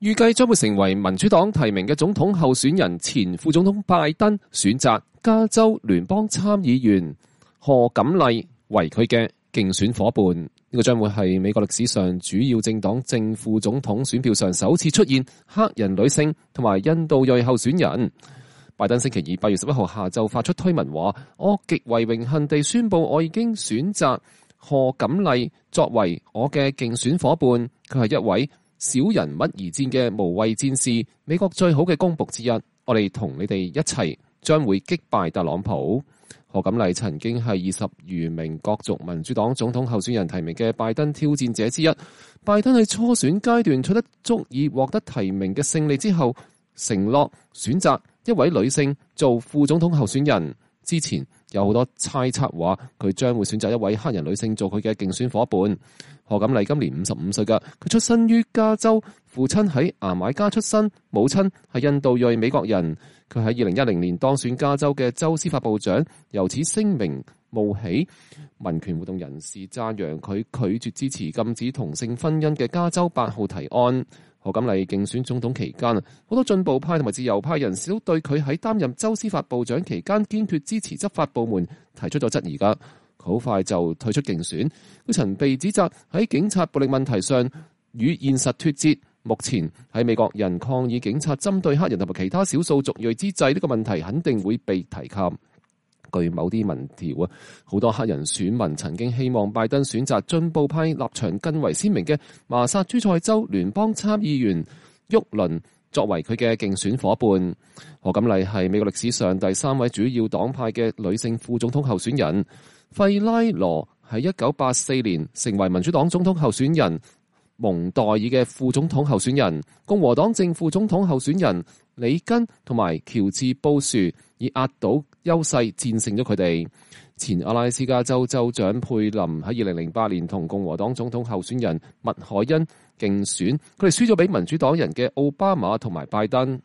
預計將會成為民主黨提名嘅總統候選人前副總統拜登選擇加州聯邦參議員賀錦麗為佢嘅競選夥伴。呢個將會係美國歷史上主要政黨正副總統選票上首次出現黑人女性同埋印度裔候選人。拜登星期二8月11號下晝發出推文話：我極為榮幸地宣布，我已經選擇賀錦麗作為我嘅競選夥伴。佢係一位小人物而戰嘅無畏戰士，美國最好嘅公僕之一。我哋同你哋一齊將會擊敗特朗普。賀錦麗曾經係20餘名角逐民主黨總統候選人提名嘅拜登挑戰者之一。拜登喺初選階段取得足以獲得提名嘅勝利之後，承諾選擇一位女性做副總統候選人。之前有好多猜測話佢將會選擇一位黑人女性做佢嘅競選夥伴。賀錦麗今年55歲㗎，佢出身於加州，父親喺牙買加出身，母親係印度裔美國人。佢喺2010年當選加州嘅州司法部長，由此聲名冒起。民權活動人士讚揚佢拒絕支持禁止同性婚姻嘅加州8號提案。賀錦麗競選總統期間，好多進步派同埋自由派人士都對佢喺擔任州司法部長期間堅決支持執法部門提出咗質疑㗎。佢好快就退出競選。佢曾被指責喺警察暴力問題上與現實脫節。目前喺美國人抗議警察針對黑人同埋其他少數族裔之際，呢個問題肯定會被提及。據某啲民調啊，好多黑人選民曾經希望拜登選擇進步派立場更為鮮明嘅麻薩諸塞州聯邦參議員沃倫作為佢嘅競選夥伴。賀錦麗係美國歷史上第3位主要黨派嘅女性副總統候選人。費拉羅喺1984年成為民主黨總統候選人蒙代爾嘅副總統候選人。共和黨正副總統候選人里根同埋喬治布殊以壓倒優勢戰勝咗佢哋。前阿拉斯加州州長佩林喺2008年同共和黨總統候選人麥凱恩競選，佢哋輸咗俾民主黨人嘅奧巴馬同埋拜登。